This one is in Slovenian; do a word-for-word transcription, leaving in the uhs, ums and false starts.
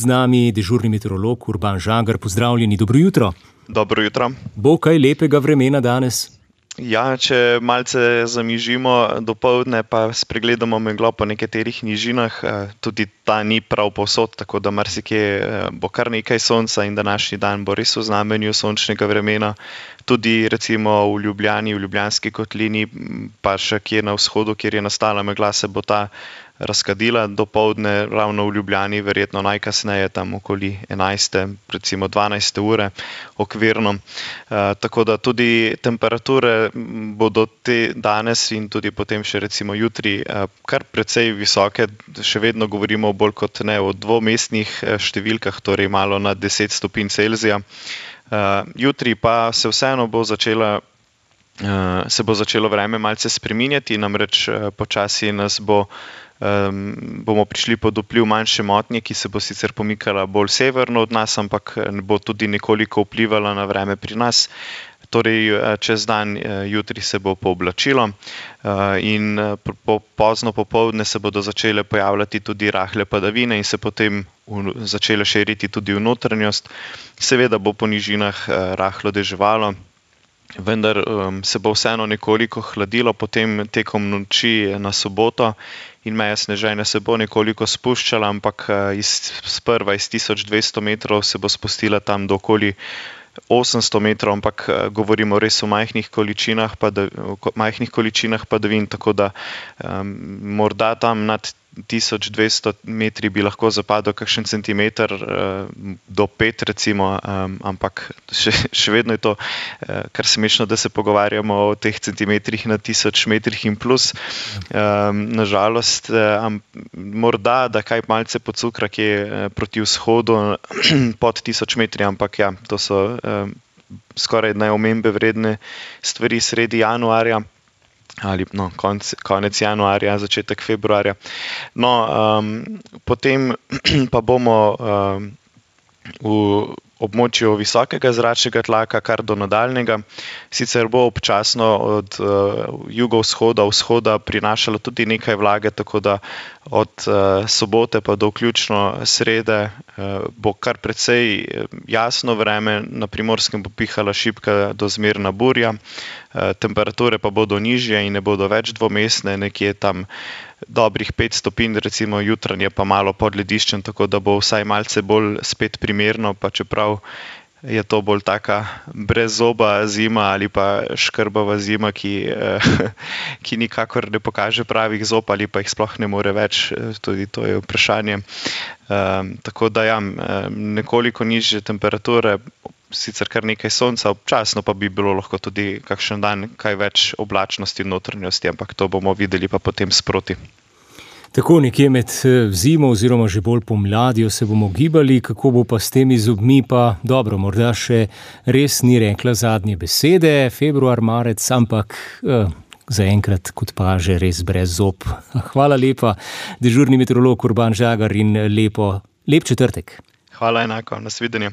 z nami dežurni meteorolog Urban Žagar. Pozdravljeni, dobro jutro. Dobro jutro. Bo kaj lepega vremena danes? Ja, če malce zamižimo dopoldne, pa spregledamo meglo po nekaterih nižinah, tudi ta ni prav povsod, tako da marsikje bo kar nekaj sonca in današnji dan bo res v znamenju sončnega vremena. Tudi recimo v Ljubljani, v Ljubljanski kotlini, pa še kje na vzhodu, kjer je nastala megla, se bo ta razkadila dopoldne, ravno v Ljubljani, verjetno najkasneje tam okoli enajste, recimo dvanajste ure okvirno. E, tako da tudi temperature bodo te danes in tudi potem še recimo jutri e, kar precej visoke, še vedno govorimo bolj kot ne o dvomestnih številkah, torej malo nad deset stopinj Celzija. Uh, jutri pa se vseeno bo začela, uh, se bo začelo vreme malce spreminjati, namreč uh, počasi nas bo, um, bomo prišli pod vpliv manjše motnje, ki se bo sicer pomikala bolj severno od nas, ampak bo tudi nekoliko vplivala na vreme pri nas. Torej, čez dan jutri se bo pooblačilo in po, pozno popoldne se bodo začele pojavljati tudi rahle padavine in se potem v, začele širiti tudi v notranjost. Seveda bo po nižinah rahlo deževalo, vendar um, se bo vseeno nekoliko hladilo, potem tekom noči na soboto in meja sneženja se bo nekoliko spuščala, ampak iz, sprva iz tisoč dvesto metrov se bo spustila tam do okoli osemsto metrov, ampak govorimo res o majhnih količinah, padav, majhnih količinah padavin, tako da um, morda tam nad tisoč dvesto metri bi lahko zapadel kakšen centimeter uh, do pet recimo, um, ampak še, še vedno je to uh, kar smešno, da se pogovarjamo o teh centimetrih na tisoč metrih in plus. Um, nažalost, um, morda, da kaj malce pocukra, ki je uh, proti vzhodu pod tisoč metri, ampak ja, to so um, skoraj najomembe vredne stvari sredi januarja. Ali no, konc, konec januarja, začetek februarja. No, um, potem pa bomo um, v območju visokega zračnega tlaka kar do nadaljnega. Sicer bo občasno od uh, jugovzhoda, vzhoda prinašalo tudi nekaj vlage, tako da od uh, sobote pa do vključno srede uh, bo kar precej jasno vreme, na Primorskem bo pihala šibka do zmerna burja, uh, temperature pa bodo nižje in ne bodo več dvomestne, nekje tam dobrih pet stopinj, recimo jutranje pa malo pod lediščem, tako da bo vsaj malce bolj spet primerno, pa čeprav je to bolj taka brezzoba zima ali pa škrbava zima, ki, ki nikakor ne pokaže pravih zob ali pa jih sploh ne more več, tudi to je vprašanje. Um, tako da ja, nekoliko nižje temperature, sicer kar nekaj sonca, občasno pa bi bilo lahko tudi kakšen dan kaj več oblačnosti in notranjosti, ampak to bomo videli pa potem sproti. Tako nekje med zimo oziroma že bolj pomladjo se bomo gibali, kako bo pa s temi zobmi, pa dobro, morda še res ni rekla zadnje besede, februar, marec, ampak eh, zaenkrat kot pa že res brez zob. Hvala lepa, dežurni meteorolog Urban Žagar in lepo, lep četrtek. Hvala enako, nasvidenje.